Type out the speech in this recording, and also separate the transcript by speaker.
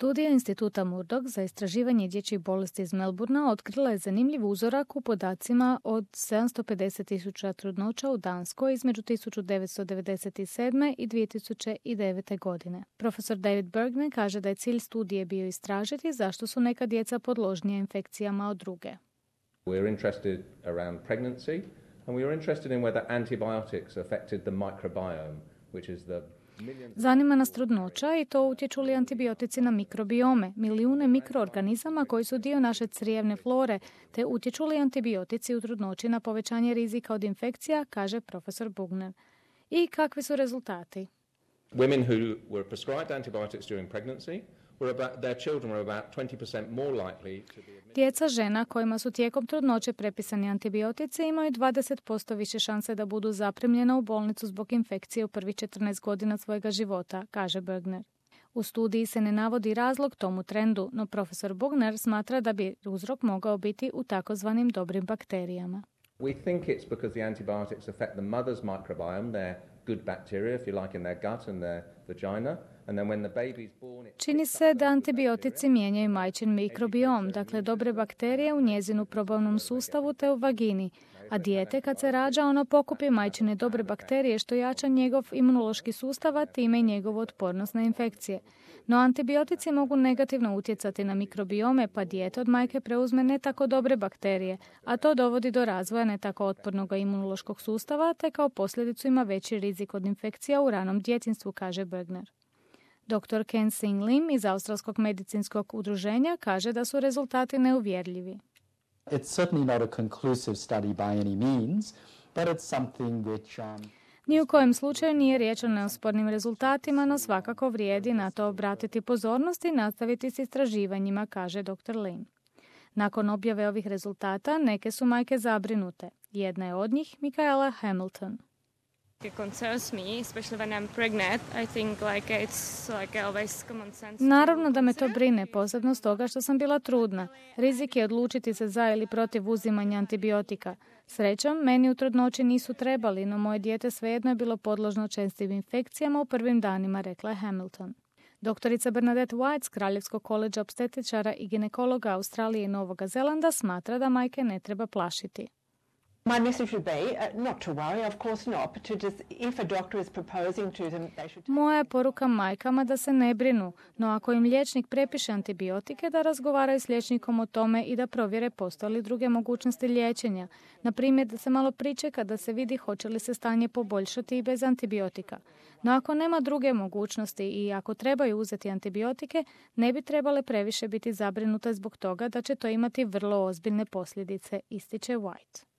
Speaker 1: Studija Instituta Murdoch za istraživanje dječjih bolesti iz Melbournea otkrila je zanimljiv uzorak u podacima od 750.000 trudnoća u Danskoj između 1997. i 2009. godine. Profesor David Bergner kaže da je cilj studije bio istražiti zašto su neka djeca podložnija infekcijama od druge.
Speaker 2: We're interested around pregnancy and we are interested in whether antibiotics affected the microbiome, which is the
Speaker 1: Zanima nas trudnoća i to utječu li antibiotici na mikrobiome, milijune mikroorganizama koji su dio naše crijevne flore, te utječu li antibiotici u trudnoći na povećanje rizika od infekcija, kaže profesor Bugner. I kakvi su rezultati?
Speaker 2: Women who were prescribed antibiotics during pregnancy their children were about 20% more likely to be admitted.
Speaker 1: Djeca žena kojima su tijekom trudnoće prepisani antibiotici imaju 20% više šanse da budu zaprimljena u bolnicu zbog infekcije u prvih 14 godina svojega života, kaže Bergner. U studiji se ne navodi razlog tomu trendu, no profesor Bugner smatra da bi uzrok mogao biti u takozvanim dobrim bakterijama.
Speaker 2: We think it's because the antibiotics affect the mother's microbiome, their good bacteria, if you like, in their gut and their vagina. And then when the baby's born,
Speaker 1: Čini se da antibiotici mijenjaju majčin mikrobiom, dakle dobre bakterije u njezinu probavnom sustavu te u vagini, a dijete kad se rađa ono pokupi majčine dobre bakterije što jača njegov imunološki sustav, a time i njegovu otpornost na infekcije. No antibiotici mogu negativno utjecati na mikrobiome, pa dijete od majke preuzme ne tako dobre bakterije, a to dovodi do razvoja ne tako otpornog imunološkog sustava, te kao posljedicu ima veći rizik od infekcija u ranom djetinjstvu, kaže Bergner. Dr. Ken Sing-Lim iz Australskog medicinskog udruženja kaže da su rezultati neuvjerljivi.
Speaker 3: It's certainly not a conclusive study by any means, but it's something which
Speaker 1: Ni u kojem slučaju nije riječ o neospornim rezultatima, no svakako vrijedi na to obratiti pozornost i nastaviti s istraživanjima, kaže dr. Lim. Nakon objave ovih rezultata, neke su majke zabrinute. Jedna je od njih Michaela Hamilton.
Speaker 4: It concerns me, especially when I'm pregnant. I think it's always common sense.
Speaker 1: Naravno da me to brine, posebno stoga što sam bila trudna. Rizik je odlučiti se za ili protiv uzimanja antibiotika. Srećom, meni u trudnoći nisu trebali, no moje dijete svejedno je bilo podložno čestim infekcijama u prvim danima, rekla je Hamilton. Doktorica Bernadette White s Kraljevskog koledža opstetičara i ginekologa Australije i Novog Zelanda smatra da majke ne treba plašiti.
Speaker 5: My message would be not to worry, of course not, but to just, if a doctor is proposing to them, they should...
Speaker 1: Moja je poruka majkama da se ne brinu, no ako im liječnik prepiše antibiotike, da razgovaraju s liječnikom o tome i da provjere postoje li druge mogućnosti liječenja. Na primjer, da se malo pričeka da se vidi hoće li se stanje poboljšati i bez antibiotika. No ako nema druge mogućnosti i ako trebaju uzeti antibiotike, ne bi trebale previše biti zabrinute zbog toga da će to imati vrlo ozbiljne posljedice, ističe White.